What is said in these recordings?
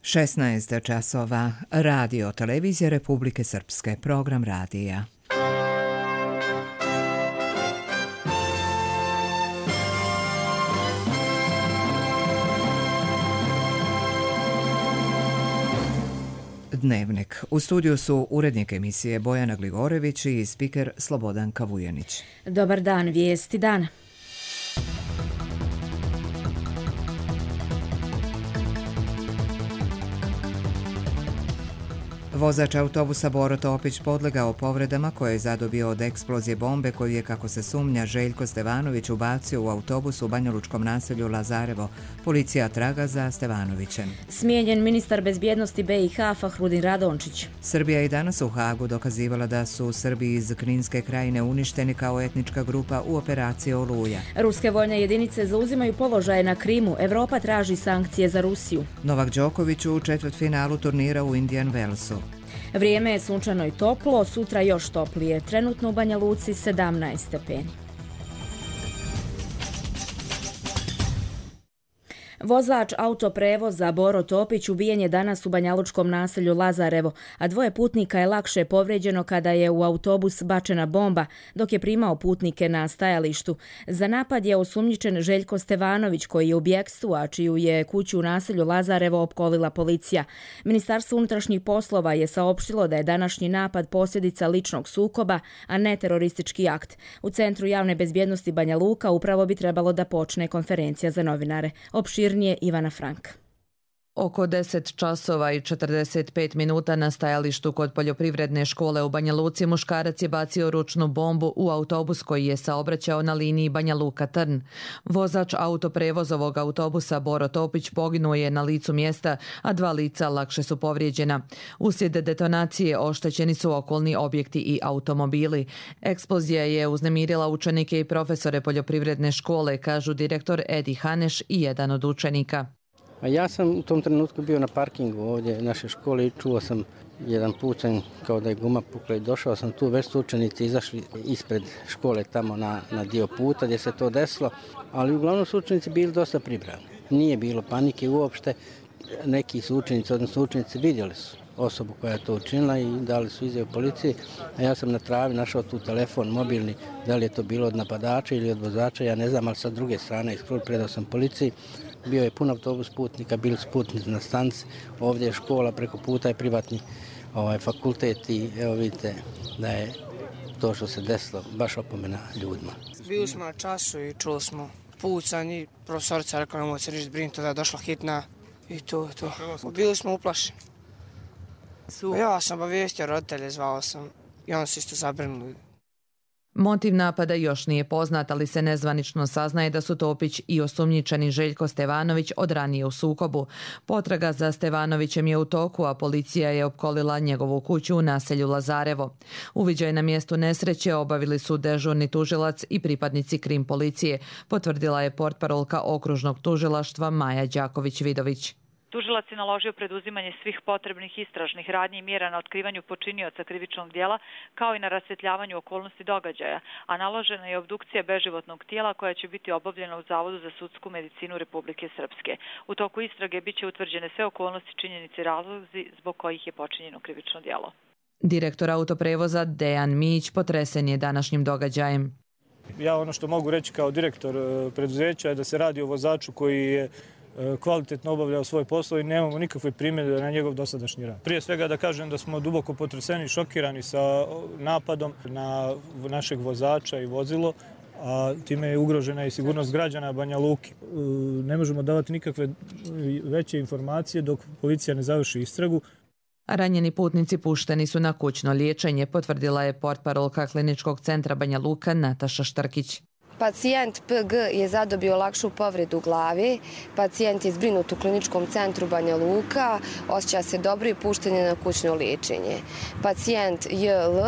16 časova. Radio televizija Republike Srpske. Program radija. Dnevnik. U studiju su urednik emisije Bojana Gligorević i spiker Slobodan Kavujanić. Dobar dan, vijesti dana. Vozač autobusa Boro Topić podlegao povredama koje je zadobio od eksplozije bombe koju je, kako se sumnja, Željko Stevanović ubacio u autobus u banjalučkom naselju Lazarevo. Policija traga za Stevanovićem. Smijenjen ministar bezbjednosti BiH Fahrudin Radončić. Srbija je danas u Hagu dokazivala da su Srbi iz Kninske krajine uništeni kao etnička grupa u operaciji Oluja. Ruske vojne jedinice zauzimaju položaje na Krimu. Evropa traži sankcije za Rusiju. Novak Đoković u četvrtfinalu turnira u Indian Wellsu. Vrijeme je sunčano i toplo, sutra još toplije. Trenutno u Banja Luci 17 stepeni. Vozač autoprevoza Boro Topić ubijen je danas u banjalučkom naselju Lazarevo, a dvoje putnika je lakše povrijeđeno kada je u autobus bačena bomba, dok je primao putnike na stajalištu. Za napad je osumnjičen Željko Stevanović, koji je u bjekstvu, a čiju je kuću u naselju Lazarevo opkolila policija. Ministarstvo unutrašnjih poslova je saopštilo da je današnji napad posljedica ličnog sukoba, a ne teroristički akt. U Centru javne bezbjednosti Banja Luka upravo bi trebalo da počne konferencija za novinare. Opširnije Ivana Frank. Oko 10 časova i 45 minuta na stajalištu kod poljoprivredne škole u Banja Luci muškarac je bacio ručnu bombu u autobus koji je saobraćao na liniji Banja Luka-Trn. Vozač autoprevozovog autobusa Boro Topić poginuo je na licu mjesta, a dva lica lakše su povrijeđena. Uslijed detonacije oštećeni su okolni objekti i automobili. Eksplozija je uznemirila učenike i profesore poljoprivredne škole, kažu direktor Edi Haneš i jedan od učenika. Ja sam u tom trenutku bio na parkingu ovdje naše škole i čuo sam jedan pucanj kao da je guma pukla i došao sam tu, već su učenici izašli ispred škole tamo na dio puta gdje se to desilo, ali uglavnom su učenici bili dosta pripravni. Nije bilo panike uopšte, neki su učenici, odnosno učenici vidjeli su osobu koja je to učinila i dali su izjavu policiji, a ja sam na travi našao tu telefon mobilni, da li je to bilo od napadača ili od vozača, ja ne znam, ali sa druge strane predao sam policiji. Bio je pun autobus putnika, bili su putnici na stanci, ovdje je škola, preko puta je privatni fakultet i evo vidite da je to što se desilo baš opomena ljudima. Bili smo na času i čuli smo pucanj i profesorica rekla nemoj se ništa brinuti, da je došla hitna i to. Bili smo uplašeni. Ja sam obavijestio roditelje, zvao sam i oni su isto zabrinuli. Motiv napada još nije poznat, ali se nezvanično saznaje da su Topić i osumnjičeni Željko Stevanović od ranije u sukobu. Potraga za Stevanovićem je u toku, a policija je opkolila njegovu kuću u naselju Lazarevo. Uviđaj na mjestu nesreće obavili su dežurni tužilac i pripadnici krim policije, potvrdila je portparolka okružnog tužilaštva Maja Đaković-Vidović. Tužilac je naložio preduzimanje svih potrebnih istražnih radnji i mjera na otkrivanju počinioca krivičnog djela, kao i na rasvjetljavanju okolnosti događaja, a naložena je obdukcija beživotnog tijela koja će biti obavljena u Zavodu za sudsku medicinu Republike Srpske. U toku istrage biće utvrđene sve okolnosti, činjenice i razlozi zbog kojih je počinjeno krivično djelo. Direktor autoprevoza Dejan Mić potresen je današnjim događajem. Ja ono što mogu reći kao direktor preduzeća je da se radi o vozaču koji je kvalitetno obavljao svoj posao i nemamo nikakve primjedbe na njegov dosadašnji rad. Prije svega da kažem da smo duboko potreseni i šokirani sa napadom na našeg vozača i vozilo, a time je ugrožena i sigurnost građana Banja Luke. Ne možemo davati nikakve veće informacije dok policija ne završi istragu. Ranjeni putnici pušteni su na kućno liječenje, potvrdila je portparolka Kliničkog centra Banja Luka Nataša Štrkić. Pacijent PG je zadobio lakšu povredu glave. Pacijent je zbrinut u Kliničkom centru Banja Luka, osjeća se dobro i pušten je na kućno liječenje. Pacijent JL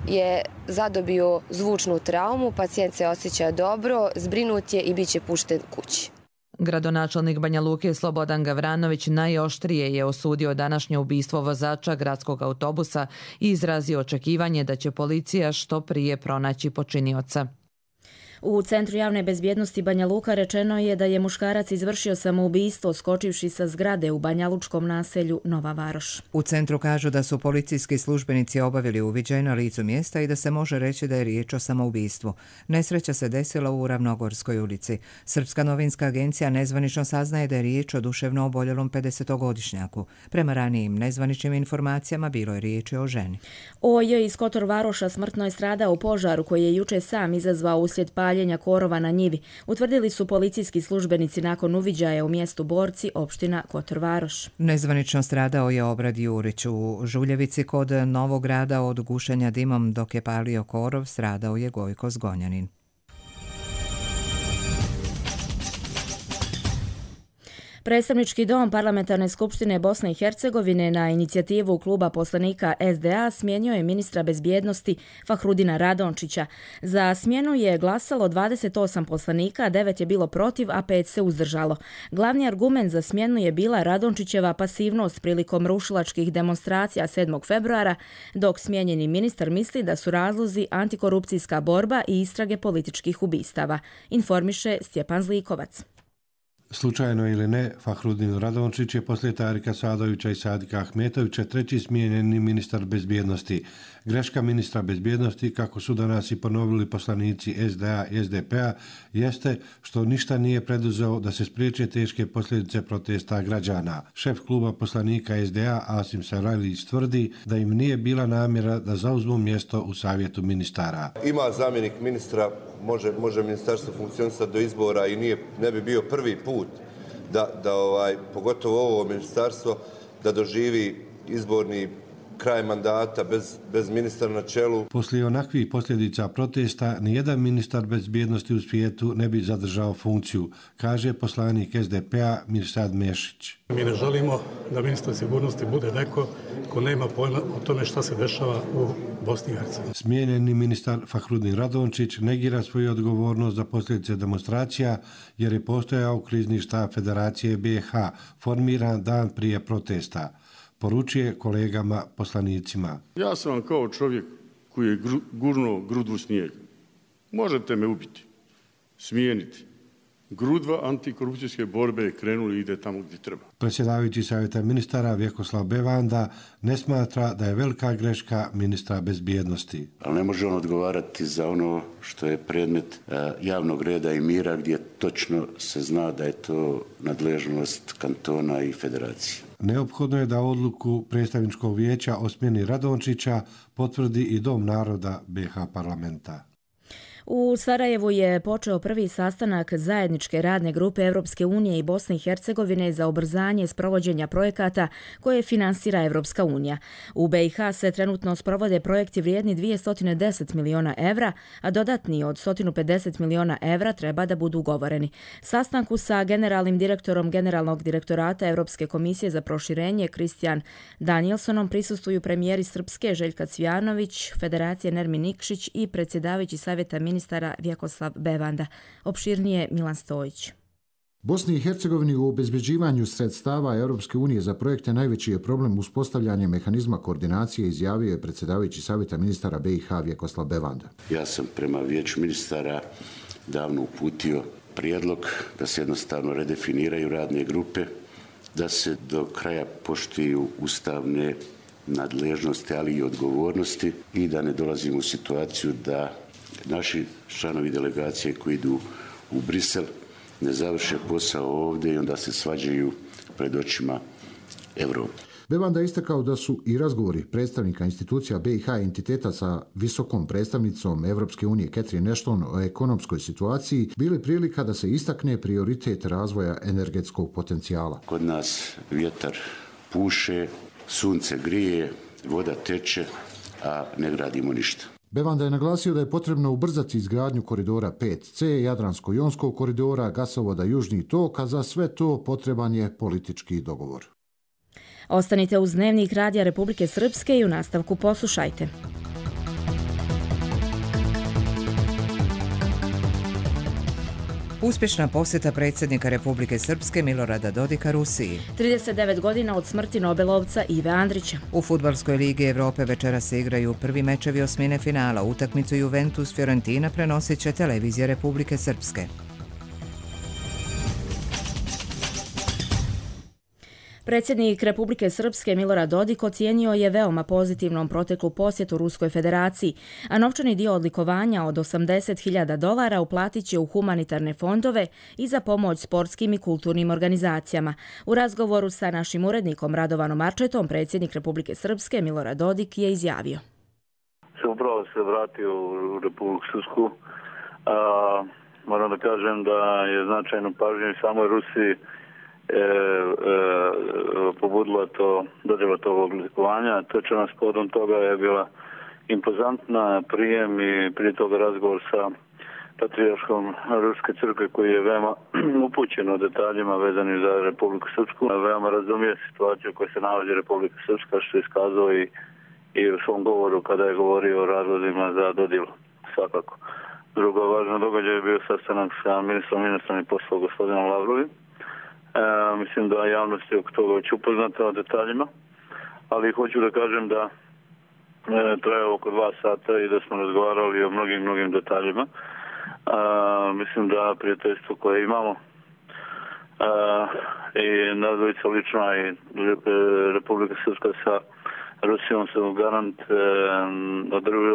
je zadobio zvučnu traumu, pacijent se osjeća dobro, zbrinut je i bit će pušten kući. Gradonačelnik Banja Luke Slobodan Gavranović najoštrije je osudio današnje ubistvo vozača gradskog autobusa i izrazio očekivanje da će policija što prije pronaći počinioca. U Centru javne bezbjednosti Banja Luka rečeno je da je muškarac izvršio samoubistvo skočivši sa zgrade u banjalučkom naselju Nova Varoš. U centru kažu da su policijski službenici obavili uviđaj na licu mjesta i da se može reći da je riječ o samoubistvu. Nesreća se desila u Ravnogorskoj ulici. Srpska novinska agencija nezvanično saznaje da je riječ o duševno oboljelom 50-godišnjaku. Prema ranijim nezvaničnim informacijama bilo je riječi o ženi. OJ iz Kotor Varoša smrtno je stradao u požaru koji je juče sam izazvao uslijed paljenja korova na njivi, utvrdili su policijski službenici nakon uviđaja u mjestu Borci, opština Kotor Varoš. Nezvanično stradao je Obrad Jurić. U Žuljevici kod Novog Grada od gušenja dimom dok je palio korov stradao je Gojko Zgonjanin. Predstavnički dom Parlamentarne skupštine Bosne i Hercegovine na inicijativu kluba poslanika SDA smijenio je ministra bezbjednosti Fahrudina Radončića. Za smjenu je glasalo 28 poslanika, 9 je bilo protiv, a 5 se uzdržalo. Glavni argument za smjenu je bila Radončićeva pasivnost prilikom rušilačkih demonstracija 7. februara, dok smijenjeni ministar misli da su razlozi antikorupcijska borba i istrage političkih ubistava, informiše Stjepan Zlikovac. Slučajno ili ne, Fahrudin Radončić je poslije Tarika Sadovića i Sadika Ahmetovića treći smijenjeni ministar bezbjednosti. Greška ministra bezbjednosti, kako su danas i ponovili poslanici SDA i SDP-a, jeste što ništa nije preduzeo da se spriječe teške posljedice protesta građana. Šef kluba poslanika SDA Asim Sarajlić tvrdi da im nije bila namjera da zauzmu mjesto u savjetu ministara. Ima zamjenik ministra, može ministarstvo funkcionisati do izbora i ne bi bio prvi put da pogotovo ovo ministarstvo da doživi izborni kraj mandata bez ministra na čelu. Poslije onakvih posljedica protesta, nijedan ministar bezbjednosti u svijetu ne bi zadržao funkciju, kaže poslanik SDP-a Mirsad Mešić. Mi ne želimo da ministar sigurnosti bude neko ko nema pojma o tome šta se dešava u Bosni i Hercegovini. Smijenjeni ministar Fahrudin Radončić negira svoju odgovornost za posljedice demonstracija jer je postojao krizni štab Federacije BiH formiran dan prije protesta. Poručuje kolegama poslanicima. Ja sam vam kao čovjek koji je gurnuo grudvu u snijeg. Možete me ubiti, smijeniti. Grudva antikorupcijske borbe krenuli i ide tamo gdje treba. Predsjedavajući savjeta ministara Vjekoslav Bevanda ne smatra da je velika greška ministra bezbjednosti. Ali ne može on odgovarati za ono što je predmet javnog reda i mira gdje točno se zna da je to nadležnost kantona i federacije. Neophodno je da odluku predstavničkog vijeća o smjeni Radončića potvrdi i Dom naroda BiH parlamenta. U Sarajevu je počeo prvi sastanak zajedničke radne grupe Europske unije i Bosne i Hercegovine za ubrzanje sprovođenja projekata koje finansira Europska unija. U BiH se trenutno sprovode projekti vrijedni 210 miliona evra, a dodatni od 150 miliona evra treba da budu ugovoreni. Sastanku sa generalnim direktorom Generalnog direktorata Europske komisije za proširenje Kristijan Danielsonom prisustvuju premijeri Srpske Željka Cvijanović, Federacije Nermin Nikšić i predsjedavajući savjeta ministara Vjekoslav Bevanda. Opširnije Milan Stojić. Bosni i Hercegovini u obezbeđivanju sredstava Europske unije za projekte najveći je problem uspostavljanje mehanizma koordinacije, izjavio je predsjedavajući savjeta ministara BiH Vjekoslav Bevanda. Ja sam prema vijeću ministara davno uputio prijedlog da se jednostavno redefiniraju radne grupe, da se do kraja poštuju ustavne nadležnosti, ali i odgovornosti i da ne dolazimo u situaciju da naši članovi delegacije koji idu u Brisel ne završe posao ovdje i onda se svađaju pred očima Evrope. Bevanda je istakao da su i razgovori predstavnika institucija BiH i entiteta sa visokom predstavnicom Evropske unije Catherine Ashton o ekonomskoj situaciji bili prilika da se istakne prioritet razvoja energetskog potencijala. Kod nas vjetar puše, sunce grije, voda teče, a ne gradimo ništa. Bevanda je naglasio da je potrebno ubrzati izgradnju koridora 5C, Jadransko-jonskog koridora, gasovoda Južni tok, a za sve to potreban je politički dogovor. Ostanite uz Dnevnik Radija Republike Srpske i u nastavku poslušajte. Uspješna posjeta predsjednika Republike Srpske Milorada Dodika Rusiji. 39 godina od smrti Nobelovca Ive Andrića. U Fudbalskoj ligi Europe večera se igraju prvi mečevi osmine finala. Utakmicu Juventus-Fiorentina prenosit će televizija Republike Srpske. Predsjednik Republike Srpske Milorad Dodik ocijenio je veoma pozitivnom proteklu posjetu Ruskoj federaciji, a novčani dio odlikovanja od $80.000 uplatit će u humanitarne fondove i za pomoć sportskim i kulturnim organizacijama. U razgovoru sa našim urednikom Radovanom Arčetom, predsjednik Republike Srpske Milorad Dodik je izjavio. Upravo se vratio u Republiku Srpsku. Moram da kažem da je značajno pažnje samoj Rusiji pobudila dodjela tog odlikovanja. Točno povodom toga je bila impozantna prijem i prije toga razgovor sa patrijarškom Ruske crkve koji je veoma upućen o detaljima vezanim za Republiku Srpsku. Veoma razumije situaciju u kojoj se nalazi Republika Srpska, što je iskazao i u svom govoru kada je govorio o razlozima za dodjelu. Svakako. Drugo važno događaj je bio sastanak sa ministrom inostranih poslova gospodinom Lavrovim. Mislim da javnost je oko toga već upoznata o detaljima, ali hoću da kažem da traje oko 2 sata i da smo razgovarali o mnogim detaljima. Mislim da prijateljstvo koje imamo i nadvojica lična i Republika Srpska sa Rusijom su garant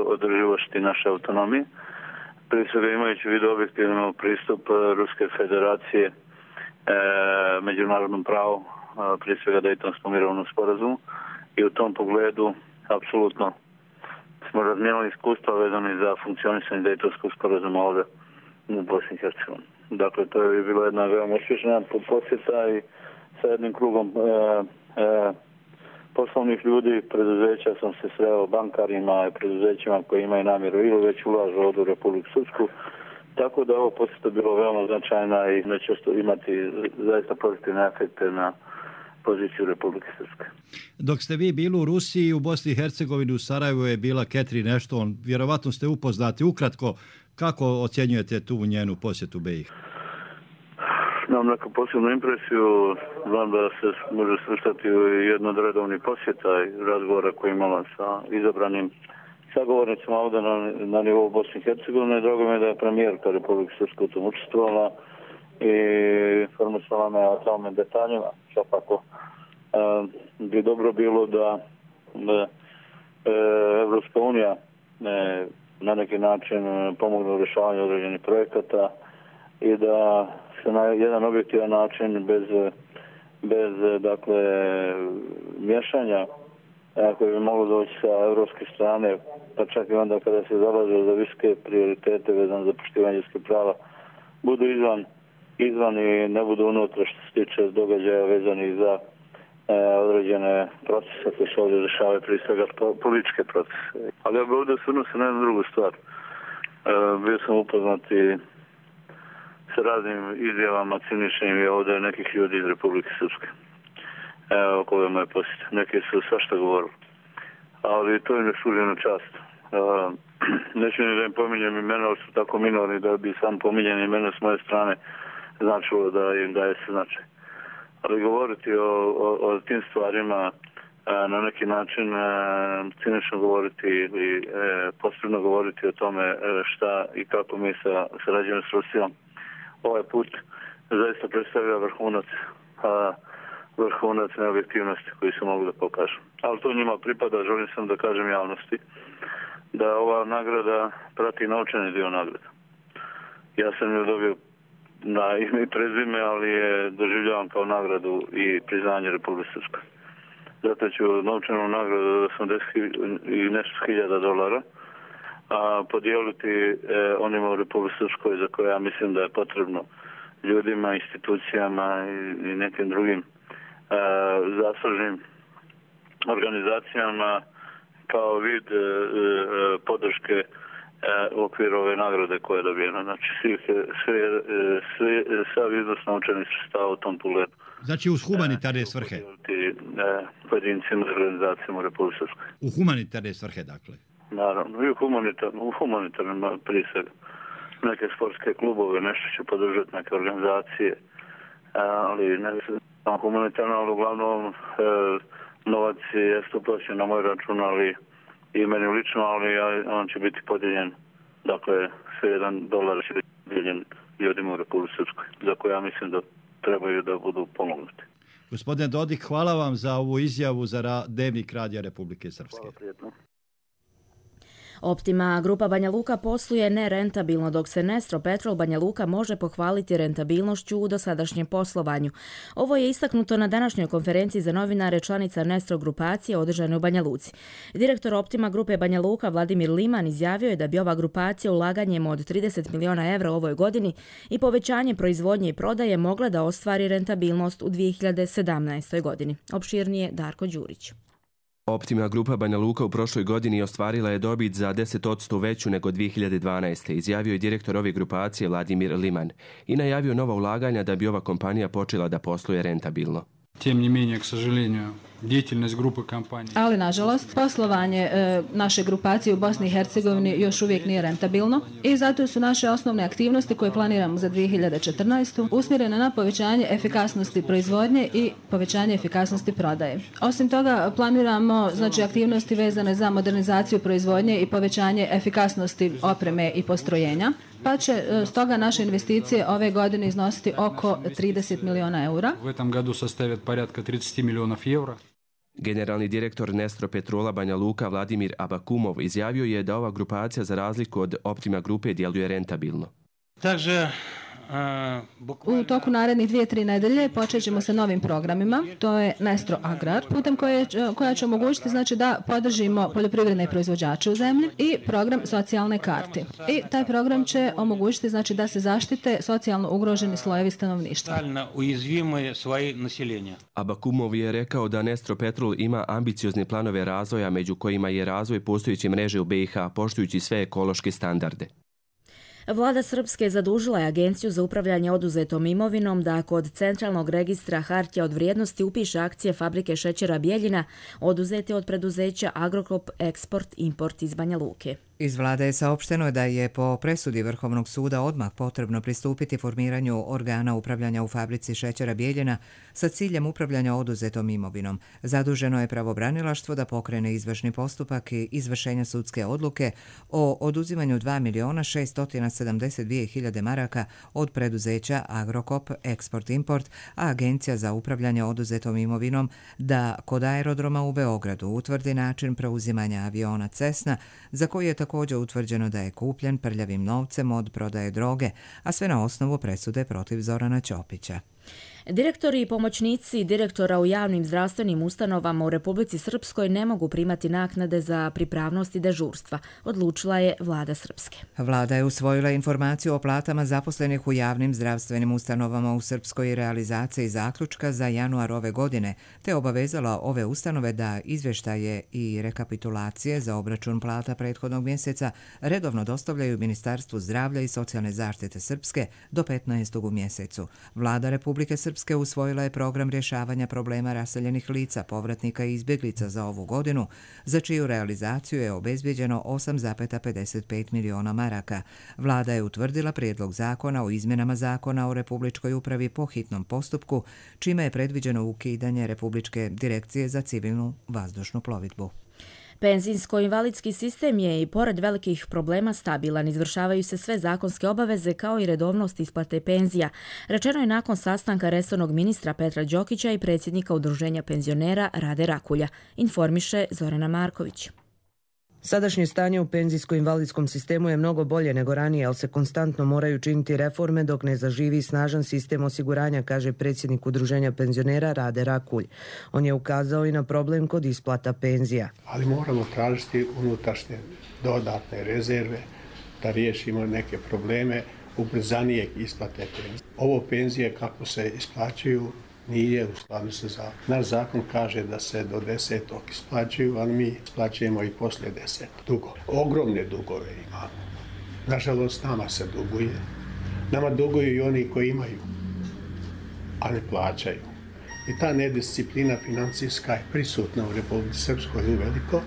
održivosti naše autonomije. Prije svega imajući u vidu objektivno pristup Ruske federacije međunarodnom pravu, prije svega Dejtonskom mirovnom sporazumu, i u tom pogledu apsolutno smo razmijenili iskustva vezani za funkcionisanje Dejtonskog sporazuma ovdje u Bosni i Hercegovini. Dakle, to je bila jedna veoma uspješna posjeta i sa jednim krugom poslovnih ljudi, preduzeća sam se sreo bankarima i preduzećima koji imaju namjeru ili već ulažu ovdje u Republiku Srpsku. Tako da ovo posjeta bilo veoma značajna i neće imati zaista pozitivne efekte na poziciju Republike Srpske. Dok ste vi bili u Rusiji, u Bosni i Hercegovini, u Sarajevu je bila Catherine Ashton. Vjerovatno ste upoznati. Ukratko, kako ocjenjujete tu njenu posjetu BiH? Imam neku posebnu impresiju. Znam da se može svrstati u jedno od redovnih posjeta i razgovora koji imala sa izabranim sagovornicima ovdje na nivou Bosne i Hercegovine. Drago mi je da je premijerka Republike Srpske u tom učestvovala i informisala me o tome detaljima. Svakako bi dobro bilo da Evropska unija na neki način pomogne u rješavanju određenih projekata i da se na jedan objektivan način bez dakle miješanja koji bi moglo doći sa evropske strane, pa čak i onda kada se zalaže za visoke prioritete vezane za poštivanje ljudskih prava, budu izvan i ne budu unutra što se tiče događaja vezanih za određene procese koje se ovdje dešavaju, prije svega političke procese. Ali ja bih ovdje osvrnuo se na jednu drugu stvar. Bio sam upoznat i sa raznim izjavama ciničnim i ovdje nekih ljudi iz Republike Srpske. Evo koga moje posjete. Neki su svašta govorili. Ali to im ne služi na čast. Neću ni da im pominjem imena, ali su tako minorni da bi sam pominjen imena s moje strane značilo da im daje se značaj. Ali govoriti o tim stvarima na neki način cinično govoriti ili posebno govoriti o tome šta i kako mi sarađujemo s Rusijom. Ovaj put zaista predstavlja vrhunac neobjektivnosti koji se mogu da pokažu. Ali to njima pripada, želim sam da kažem javnosti, da ova nagrada prati novčani dio nagrada. Ja sam ju dobio na ime i prezime, ali je doživljavam kao nagradu i priznanje Republike Srpske. Zato ću novčanu nagradu od $80 i nešto hiljada podijeliti onima u Republike Srpskoj za koje ja mislim da je potrebno ljudima, institucijama i nekim drugim zaslužnim organizacijama kao vid podrške u okviru ove nagrade koja je dobijena. Znači, sav iznos novčanih sredstava u tom pogledu. Znači uz humanitarne svrhe? Pojedincima i organizacijama u Republike Srpskoj. U humanitarne svrhe, dakle? Naravno, i u humanitarnim prije svega. neke sportske klubove, nešto će podržati neke organizacije, ali ne samo humanitarno, ali uglavnom novac je uplaćen na moj račun, ali i meni lično, ali on će biti podijeljen, dakle sve $1 će biti podijeljen ljudima u Republici Srpskoj, za koje ja mislim da trebaju da budu pomognuti. Gospodine Dodik, hvala vam za ovu izjavu za Dnevnik Radija Republike Srpske. Hvala, prijetno. Optima Grupa Banja Luka posluje nerentabilno, dok se Nestro Petrol Banja Luka može pohvaliti rentabilnošću u dosadašnjem poslovanju. Ovo je istaknuto na današnjoj konferenciji za novinare članica Nestro grupacije održane u Banja Luci. Direktor Optima Grupe Banja Luka Vladimir Liman izjavio je da bi ova grupacija ulaganjem od 30 miliona evra u ovoj godini i povećanje proizvodnje i prodaje mogla da ostvari rentabilnost u 2017. godini. Opširnije Darko Đurić. Optima Grupa Banja Luka u prošloj godini ostvarila je dobit za 10% veću nego 2012. izjavio je direktor ove grupacije Vladimir Liman i najavio nova ulaganja da bi ova kompanija počela da posluje rentabilno. Тем не менее, к сожалению, деятельность группы компаний. Ali, nažalost, poslovanje naše grupacije u Bosni i Hercegovini još uvijek nije rentabilno i zato su naše osnovne aktivnosti koje planiramo za 2014. usmjerene na povećanje efikasnosti proizvodnje i povećanje efikasnosti prodaje. Osim toga, planiramo aktivnosti vezane za modernizaciju proizvodnje i povećanje efikasnosti opreme i postrojenja, pa će stoga naše investicije ove godine iznositi oko 30 miliona eura. U этом году составят порядка 30 миллионов евро. Generalni direktor Nestro Petrola Banja Luka Vladimir Abakumov izjavio je da ova grupacija za razliku od Optima grupe djeluje rentabilno. U toku narednih 2-3 nedelje počet ćemo sa novim programima, to je Nestro Agrar, putem koja će omogućiti da podržimo poljoprivredne proizvođače u zemlji i program socijalne karte. I taj program će omogućiti da se zaštite socijalno ugroženi slojevi stanovništva. Abakumov je rekao da Nestro Petrol ima ambiciozne planove razvoja, među kojima je razvoj postojeće mreže u BiH, poštujući sve ekološke standarde. Vlada Srpske zadužila je Agenciju za upravljanje oduzetom imovinom da kod Centralnog registra hartija od vrijednosti upiše akcije fabrike šećera Bijeljina oduzete od preduzeća Agrokop Eksport Import iz Banja Luke. Iz vlade je saopšteno da je po presudi Vrhovnog suda odmah potrebno pristupiti formiranju organa upravljanja u fabrici šećera Bijeljina sa ciljem upravljanja oduzetom imovinom. Zaduženo je pravobranilaštvo da pokrene izvršni postupak i izvršenja sudske odluke o oduzimanju 2.672.000 maraka od preduzeća Agrokop Eksport Import, a Agencija za upravljanje oduzetom imovinom da kod aerodroma u Beogradu utvrdi način preuzimanja aviona Cessna, za koji je također utvrđeno da je kupljen prljavim novcem od prodaje droge, a sve na osnovu presude protiv Zorana Ćopića. Direktori i pomoćnici direktora u javnim zdravstvenim ustanovama u Republici Srpskoj ne mogu primati naknade za pripravnost i dežurstva, odlučila je vlada Srpske. Vlada je usvojila informaciju o platama zaposlenih u javnim zdravstvenim ustanovama u Srpskoj i realizaciji zaključka za januar ove godine, te obavezala ove ustanove da izvještaje i rekapitulacije za obračun plata prethodnog mjeseca redovno dostavljaju Ministarstvu zdravlja i socijalne zaštite Srpske do 15. u mjesecu. Vlada Republike Srpske usvojila je program rješavanja problema raseljenih lica, povratnika i izbjeglica za ovu godinu, za čiju realizaciju je obezbijeđeno 8,55 miliona maraka. Vlada je utvrdila prijedlog zakona o izmjenama zakona o Republičkoj upravi po hitnom postupku, čime je predviđeno ukidanje Republičke direkcije za civilnu vazdušnu plovidbu. Penzijsko-invalidski sistem je i pored velikih problema stabilan, izvršavaju se sve zakonske obaveze kao i redovnost isplate penzija. Rečeno je nakon sastanka resornog ministra Petra Đokića i predsjednika Udruženja penzionera Rade Rakulja, informiše Zorana Marković. Sadašnje stanje u penzijsko-invalidskom sistemu je mnogo bolje nego ranije, ali se konstantno moraju činiti reforme dok ne zaživi snažan sistem osiguranja, kaže predsjednik Udruženja penzionera Rade Rakulj. On je ukazao i na problem kod isplata penzija. Ali moramo tražiti unutrašnje dodatne rezerve da riješimo neke probleme ubrzanijeg isplate penzije. Ovo penzije kako se isplaćuju nije u skladu sa zakonom. Naš zakon kaže da se do 10. isplaćuju, ali mi isplaćujemo i poslije 10. Dugo. Ogromne dugove imamo. Nažalost, nama se duguje. Nama duguju i oni koji imaju, a ne plaćaju. I ta nedisciplina financijska je prisutna u Republici Srpskoj uveliko.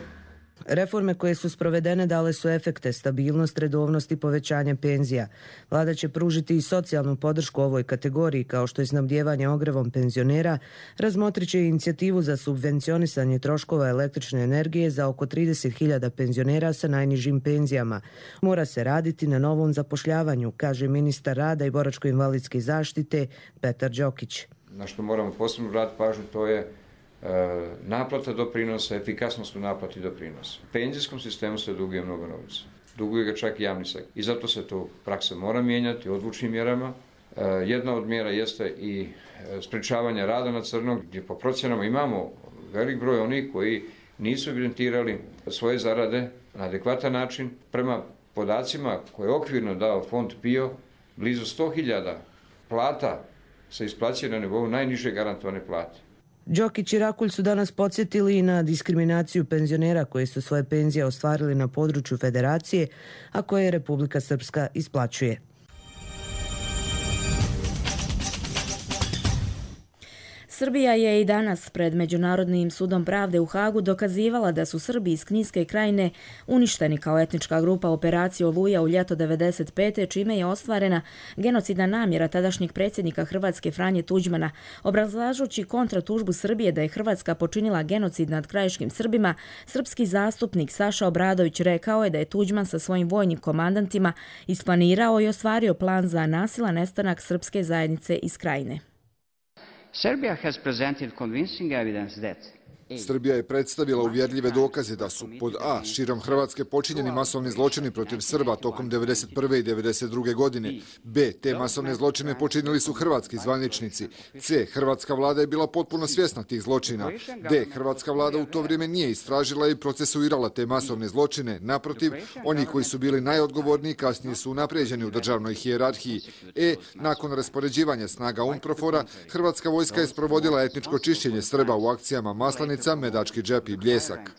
Reforme koje su sprovedene dale su efekte, stabilnost, redovnost i povećanje penzija. Vlada će pružiti i socijalnu podršku ovoj kategoriji, kao što je snabdijevanje ogrevom penzionera, razmotrit će inicijativu za subvencionisanje troškova električne energije za oko 30.000 penzionera sa najnižim penzijama. Mora se raditi na novom zapošljavanju, kaže ministar rada i boračko-invalidske zaštite Petar Đokić. Na što moramo posebno vratiti pažnju, to je naplata doprinosa, efikasnost u naplati doprinosa. U penzijskom sistemu se duguje mnogo novca. Duguje ga čak i javni sektor. I zato se to praksa mora mijenjati odlučnim mjerama. Jedna od mjera jeste i sprečavanje rada na crno, gdje po procjenama imamo velik broj onih koji nisu evidentirali svoje zarade na adekvatan način. Prema podacima koje je okvirno dao fond PIO, blizu 100.000 plata se isplaćuje na nivou najniže garantovane plate. Đokić i Rakulj su danas podsjetili i na diskriminaciju penzionera koji su svoje penzije ostvarili na području federacije, a koje Republika Srpska isplaćuje. Srbija je i danas pred Međunarodnim sudom pravde u Hagu dokazivala da su Srbi iz Kninske krajine uništeni kao etnička grupa operacije Oluja u ljeto 1995. čime je ostvarena genocidna namjera tadašnjeg predsjednika Hrvatske Franje Tuđmana. Obrazlažući kontratužbu Srbije da je Hrvatska počinila genocid nad krajiškim Srbima, srpski zastupnik Saša Obradović rekao je da je Tuđman sa svojim vojnim komandantima isplanirao i ostvario plan za nasilan nestanak srpske zajednice iz krajine. Serbia has presented convincing evidence that Srbija je predstavila uvjerljive dokaze da su pod A. širom Hrvatske počinjeni masovni zločini protiv Srba tokom 1991. i 1992. godine. B. Te masovne zločine počinili su hrvatski zvaničnici. C. Hrvatska vlada je bila potpuno svjesna tih zločina. D. Hrvatska vlada u to vrijeme nije istražila i procesuirala te masovne zločine. Naprotiv, oni koji su bili najodgovorniji kasnije su unaprijeđeni u državnoj hijerarhiji. E. Nakon raspoređivanja snaga UNPROFOR-a, hrvatska vojska je sprovodila etničko čišćenje Srba u akcijama Maslenica, Medački džep i Bljesak.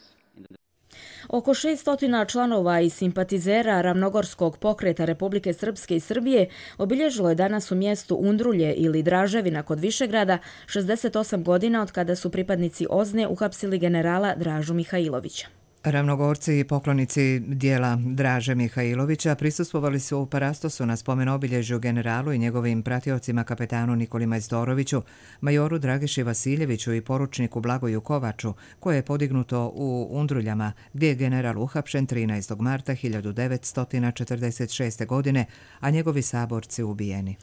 Oko 600 članova i simpatizera Ravnogorskog pokreta Republike Srpske i Srbije obilježilo je danas u mjestu Undrulje ili Draževina kod Višegrada 68 godina od kada su pripadnici OZNE uhapsili generala Dražu Mihajlovića. Ravnogorci i poklonici dijela Draže Mihajlovića prisustvovali su u Parastosu na spomen obilježju generalu i njegovim pratiocima kapetanu Nikoli Majstoroviću, majoru Dragiši Vasiljeviću i poručniku Blagoju Kovaču, koje je podignuto u Undruljama, gdje je general uhapšen 13. marta 1946. godine, a njegovi saborci ubijeni.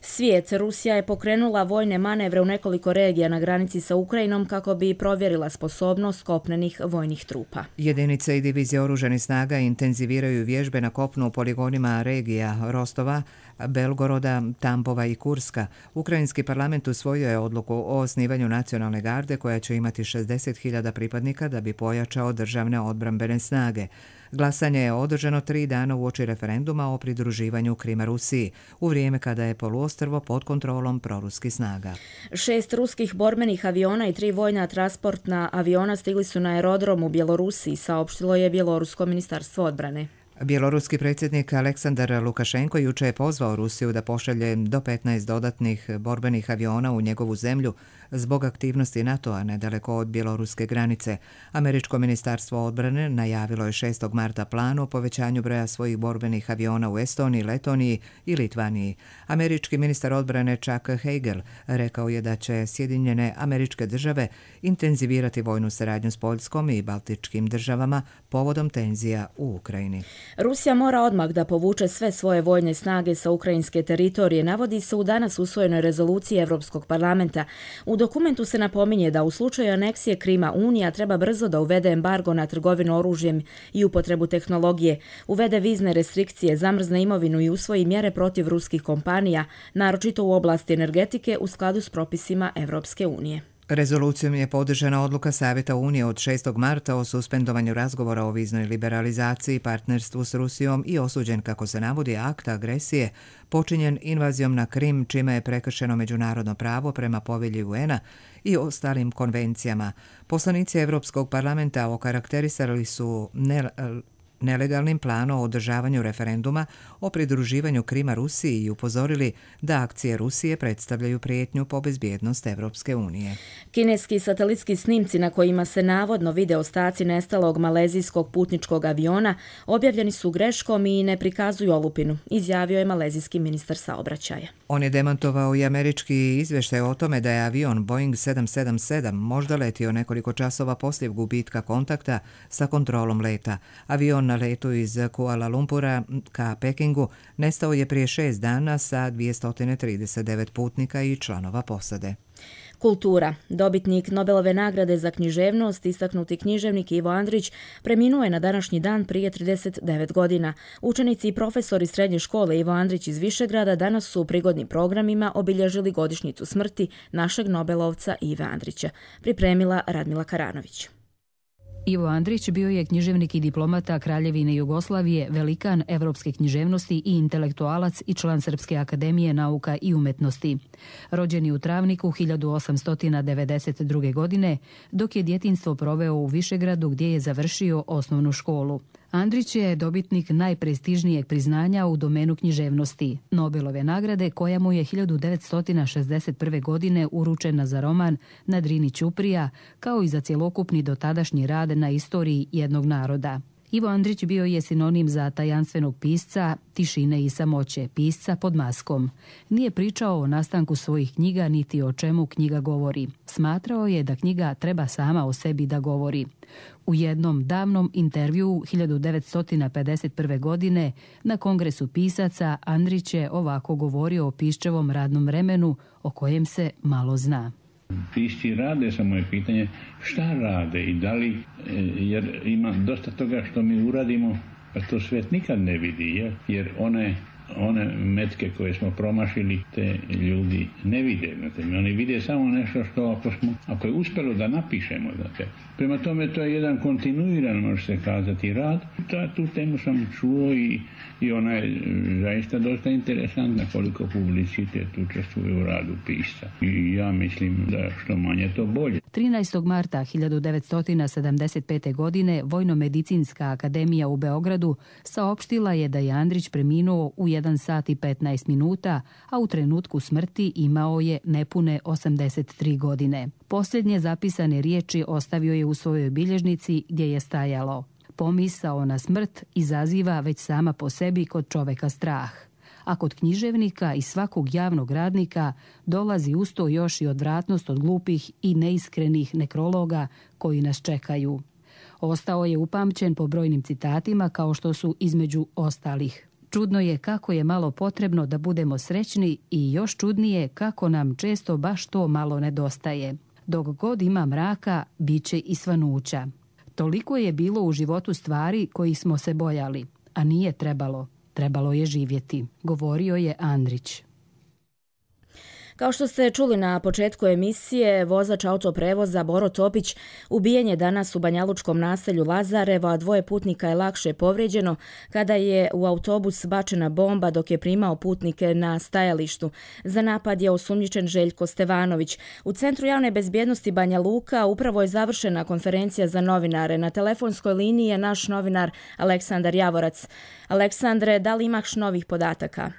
Svijet, Rusija je pokrenula vojne manevre u nekoliko regija na granici sa Ukrajinom kako bi provjerila sposobnost kopnenih vojnih trupa. Jedinice i divizije oružanih snaga intenziviraju vježbe na kopnu u poligonima regija Rostova, Belgoroda, Tambova i Kurska. Ukrajinski parlament usvojio je odluku o osnivanju nacionalne garde koja će imati 60.000 pripadnika da bi pojačao državne odbrambene snage. Glasanje je održano 3 dana uoči referenduma o pridruživanju Krima Rusiji, u vrijeme kada je poluostrvo pod kontrolom proruskih snaga. 6 ruskih borbenih aviona i 3 vojna transportna aviona stigli su na aerodrom u Bjelorusiji, saopštilo je Bjelorusko ministarstvo odbrane. Bjeloruski predsjednik Aleksandar Lukašenko juče je pozvao Rusiju da pošalje do 15 dodatnih borbenih aviona u njegovu zemlju zbog aktivnosti NATO-a nedaleko od bjeloruske granice. Američko ministarstvo odbrane najavilo je 6. marta plan o povećanju broja svojih borbenih aviona u Estoniji, Letoniji i Litvaniji. Američki ministar odbrane Chuck Hagel rekao je da će Sjedinjene Američke Države intenzivirati vojnu saradnju s Poljskom i Baltičkim državama povodom tenzija u Ukrajini. Rusija mora odmah da povuče sve svoje vojne snage sa ukrajinske teritorije, navodi se u danas usvojenoj rezoluciji Evropskog parlamenta. U dokumentu se napominje da u slučaju aneksije Krima Unija treba brzo da uvede embargo na trgovinu oružjem i upotrebu tehnologije, uvede vizne restrikcije, zamrzne imovinu i usvoji mjere protiv ruskih kompanija, naročito u oblasti energetike u skladu s propisima Evropske unije. Rezolucijom je podržana odluka Savjeta Unije od 6. marta o suspendovanju razgovora o viznoj liberalizaciji, partnerstvu s Rusijom i osuđen, kako se navodi, akt agresije počinjen invazijom na Krim, čime je prekršeno međunarodno pravo prema povelji UN-a i ostalim konvencijama. Poslanici Evropskog parlamenta okarakterisali su nelegalnim planom o održavanju referenduma o pridruživanju Krima Rusiji i upozorili da akcije Rusije predstavljaju prijetnju po bezbjednost Evropske unije. Kineski satelitski snimci na kojima se navodno vide ostaci nestalog malezijskog putničkog aviona objavljeni su greškom i ne prikazuju olupinu, izjavio je malezijski ministar saobraćaja. On je demantovao i američki izvještaj o tome da je avion Boeing 777 možda letio nekoliko časova poslije gubitka kontakta sa kontrolom leta. Avion na letu iz Kuala Lumpura ka Pekingu nestao je prije 6 dana sa 239 putnika i članova posade. Kultura. Dobitnik Nobelove nagrade za književnost, istaknuti književnik Ivo Andrić, preminuo je na današnji dan prije 39 godina. Učenici i profesori srednje škole Ivo Andrić iz Višegrada danas su u prigodnim programima obilježili godišnjicu smrti našeg Nobelovca Ive Andrića. Pripremila Radmila Karanović. Ivo Andrić bio je književnik i diplomata Kraljevine Jugoslavije, velikan evropske književnosti i intelektualac i član Srpske akademije nauka i umetnosti. Rođen je u Travniku 1892. godine, dok je djetinjstvo proveo u Višegradu gdje je završio osnovnu školu. Andrić je dobitnik najprestižnijeg priznanja u domenu književnosti, Nobelove nagrade koja mu je 1961. godine uručena za roman Na Drini ćuprija, kao i za cjelokupni dotadašnji rad na istoriji jednog naroda. Ivo Andrić bio je sinonim za tajanstvenog pisca tišine i samoće, pisca pod maskom. Nije pričao o nastanku svojih knjiga niti o čemu knjiga govori. Smatrao je da knjiga treba sama o sebi da govori. U jednom davnom intervjuu 1951. godine na Kongresu pisaca Andrić je ovako govorio o Piščevom radnom vremenu o kojem se malo zna. Pisci rade, samo je pitanje šta rade i da li, jer ima dosta toga što mi uradimo, pa to svijet nikad ne vidi, jer one metke koje smo promašili, te ljudi ne vide. Oni vide samo nešto što ako je uspjelo da napišemo. Prema tome to je jedan kontinuiran, može se kazati, rad. Tu temu sam čuo i ona je zaista dosta interesantna koliko publicitet učestvuje u radu pisca. I ja mislim da što manje to bolje. 13. marta 1975. godine Vojno-medicinska akademija u Beogradu saopštila je da je Andrić preminuo u 1 sat i 15 minuta, a u trenutku smrti imao je nepune 83 godine. Posljednje zapisane riječi ostavio je u svojoj bilježnici gdje je stajalo: pomisao na smrt izaziva već sama po sebi kod čoveka strah, a kod književnika i svakog javnog radnika dolazi usto još i odvratnost od glupih i neiskrenih nekrologa koji nas čekaju. Ostao je upamćen po brojnim citatima kao što su između ostalih: čudno je kako je malo potrebno da budemo srećni i još čudnije kako nam često baš to malo nedostaje. Dok god ima mraka, bit će i svanuća. Toliko je bilo u životu stvari kojih smo se bojali, a nije trebalo. Trebalo je živjeti, govorio je Andrić. Kao što ste čuli na početku emisije, vozač autoprevoza Boro Topić ubijen je danas u banjalučkom naselju Lazarevo, a 2 putnika je lakše povrijeđeno kada je u autobus bačena bomba dok je primao putnike na stajalištu. Za napad je osumnjičen Željko Stevanović. U Centru javne bezbjednosti Banja Luka upravo je završena konferencija za novinare. Na telefonskoj liniji je naš novinar Aleksandar Javorac. Aleksandre, da li imaš novih podataka?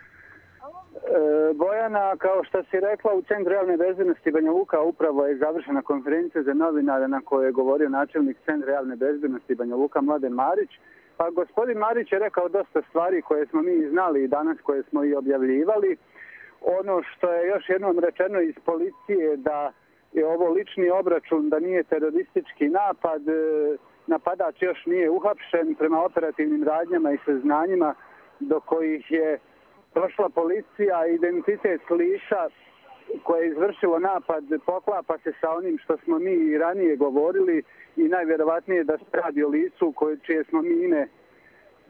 Bojana, kao što si rekla, u Centru javne bezbjednosti Banja Luka upravo je završena konferencija za novinare na kojoj je govorio načelnik Centra javne bezbjednosti Banja Luka Mladen Marić. Pa gospodin Marić je rekao dosta stvari koje smo mi znali i danas, koje smo i objavljivali. Ono što je još jednom rečeno iz policije da je ovo lični obračun, da nije teroristički napad, napadač još nije uhapšen prema operativnim radnjama i saznanjima do kojih je došla policija. Identitet lica koje je izvršilo napad poklapa se sa onim što smo mi i ranije govorili i najvjerovatnije da se radi o licu čije smo mi ime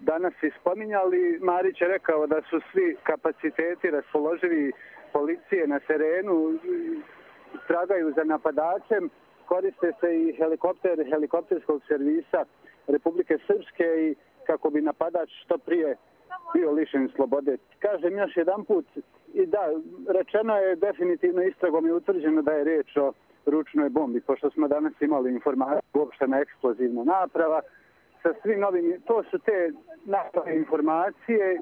danas ispominjali. Marić je rekao da su svi kapaciteti raspoloživi policije na terenu, tragaju za napadačem, koriste se i helikopterskog servisa Republike Srpske i kako bi napadač što prije bio lišen slobode. Kažem još jedan put, i da, rečeno je definitivno, istragom je utvrđeno da je riječ o ručnoj bombi, pošto smo danas imali informaciju uopštena eksplozivna naprava. sa svim ovim, to su te naše informacije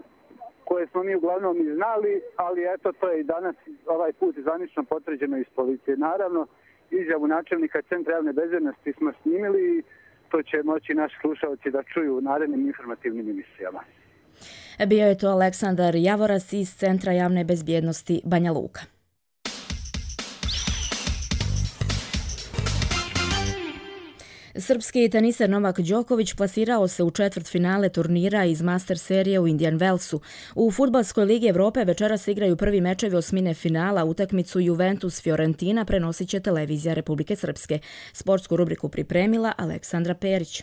koje smo mi uglavnom i znali, ali eto to je i danas ovaj put zvanično potvrđeno iz policije. Naravno, izjavu načelnika Centra javne bezbednosti smo snimili i to će moći naši slušalci da čuju u narednim informativnim emisijama. Bio je to Aleksandar Javoras iz Centra javne bezbjednosti Banja Luka. Srpski teniser Novak Đoković plasirao se u četvrtfinale turnira iz Master serije u Indian Wellsu. U Fudbalskoj ligi Evrope večeras igraju prvi mečevi osmine finala. Utakmicu Juventus-Fiorentina prenosit će televizija Republike Srpske. Sportsku rubriku pripremila Aleksandra Perić.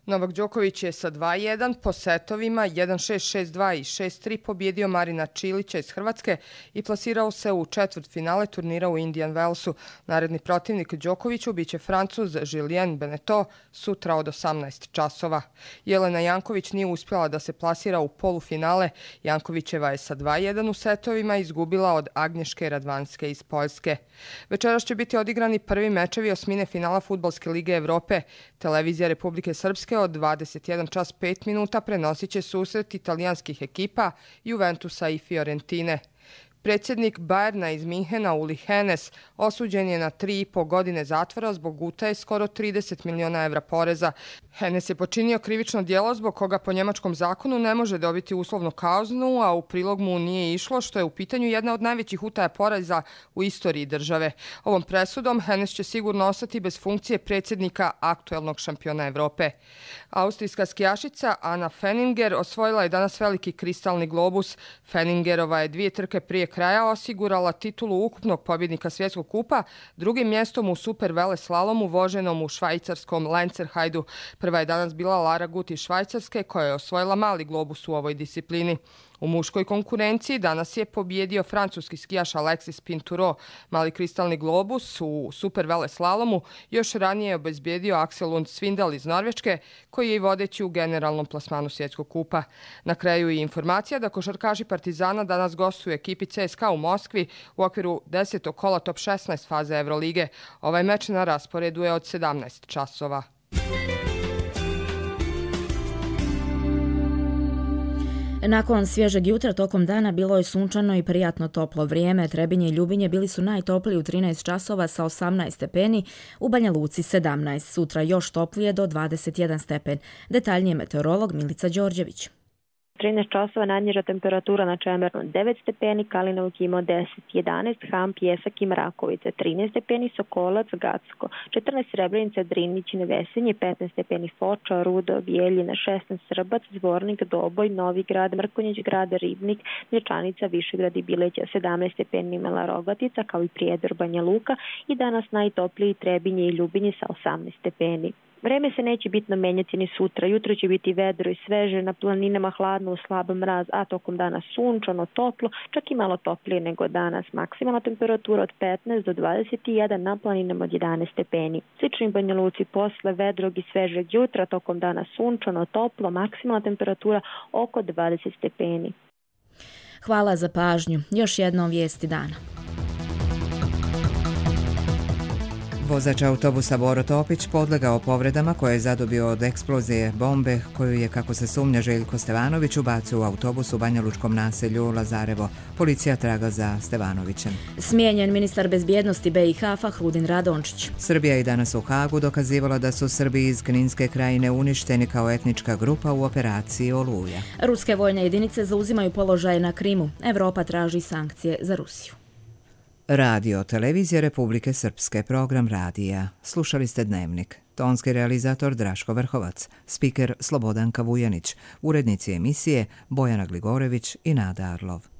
Novak Đoković je sa 2-1 po setovima 1-6, 6-2 i 6-3 pobjedio Marina Čilića iz Hrvatske i plasirao se u četvrtfinale turnira u Indian Wellsu. Naredni protivnik Đokoviću biće Francuz Julien Beneteau sutra od 18 časova. Jelena Janković nije uspjela da se plasira u polufinale. Jankovićeva je sa 2-1 u setovima izgubila od Agnješke Radvanske iz Poljske. Večeras će biti odigrani prvi mečevi osmine finala Fudbalske lige Evrope. Televizija Republike Srpske od 21 čas 5 minuta prenosit će susret italijanskih ekipa Juventusa i Fiorentine. Predsjednik Bayerna iz Minhena Uli Hoeneß osuđen je na 3,5 godine zatvora zbog utaje skoro 30 miliona evra poreza. Hoeneß je počinio krivično djelo zbog koga po njemačkom zakonu ne može dobiti uslovnu kaznu, a u prilog mu nije išlo što je u pitanju jedna od najvećih utaja poreza u istoriji države. Ovom presudom Hoeneß će sigurno ostati bez funkcije predsjednika aktuelnog šampiona Evrope. Austrijska skijašica Anna Fenninger osvojila je danas veliki kristalni globus. Fenningerova je 2 trke prije kraja osigurala titulu ukupnog pobjednika svjetskog kupa, drugim mjestom u super veleslalomu voženom u švajcarskom Lenzerheidu. Prva je danas bila Lara Gut iz Švajcarske koja je osvojila mali globus u ovoj disciplini. U muškoj konkurenciji danas je pobjedio francuski skijaš Alexis Pinturo. Mali kristalni globus u super veleslalomu još ranije je obezbijedio Axel Lund Svindal iz Norveške, koji je i vodeći u generalnom plasmanu svjetskog kupa. Na kraju je informacija da košarkaši Partizana danas gostuju ekipi CSKA u Moskvi u okviru 10. kola top 16 faze Evrolige. Ovaj meč na rasporedu je od 17 časova. Nakon svježeg jutra tokom dana bilo je sunčano i prijatno toplo vrijeme. Trebinje i Ljubinje bili su najtopliji u 13 časova sa 18 stepeni, u Banja Luci 17. Sutra još toplije do 21 stepen. Detaljnije meteorolog Milica Đorđević. 13 časova najniža temperatura na Čemernu 9 stepeni, Kalinovik ima 10, 11, Ham, Pjesak i Mrakovice, 13 stepeni, Sokolac, Gacko, 14 Srebrenica, Drinić, Nevesinje, 15 stepeni, Foča, Rudo, Bijeljina, 16 Srbac, Zvornik, Doboj, Novi Grad, Mrkonjić Grad, Ribnik, Dječanica, Višegrad i Bileća, 17 stepeni imala Rogatica, kao i Prijedor, Banja Luka i danas najtopliji Trebinje i Ljubinje sa 18 stepeni. Vreme se neće bitno menjati ni sutra. Jutro će biti vedro i sveže, na planinama hladno u slab mraz, a tokom dana sunčano, toplo, čak i malo toplije nego danas. Maksimalna temperatura od 15 do 21, na planinama od 11 stepeni. Slični Banja Luci posle vedrog i svežeg jutra, tokom dana sunčano, toplo, maksimalna temperatura oko 20 stepeni. Hvala za pažnju. Još jednom vijesti dana. Vozač autobusa Boro Topić podlegao povredama koje je zadobio od eksplozije bombe koju je, kako se sumnja, Željko Stevanović ubacio u autobus u banjalučkom naselju Lazarevo. Policija traga za Stevanovićem. Smijenjen ministar bezbjednosti BiH Fahrudin Radončić. Srbija i danas u Hagu dokazivala da su Srbi iz Kninske krajine uništeni kao etnička grupa u operaciji Oluja. Ruske vojne jedinice zauzimaju položaje na Krimu. Evropa traži sankcije za Rusiju. Radio, televizija Republike Srpske, program radija. Slušali ste Dnevnik. Tonski realizator Draško Vrhovac, spiker Slobodanka Vujanić, urednici emisije Bojana Gligorević i Nada Arlov.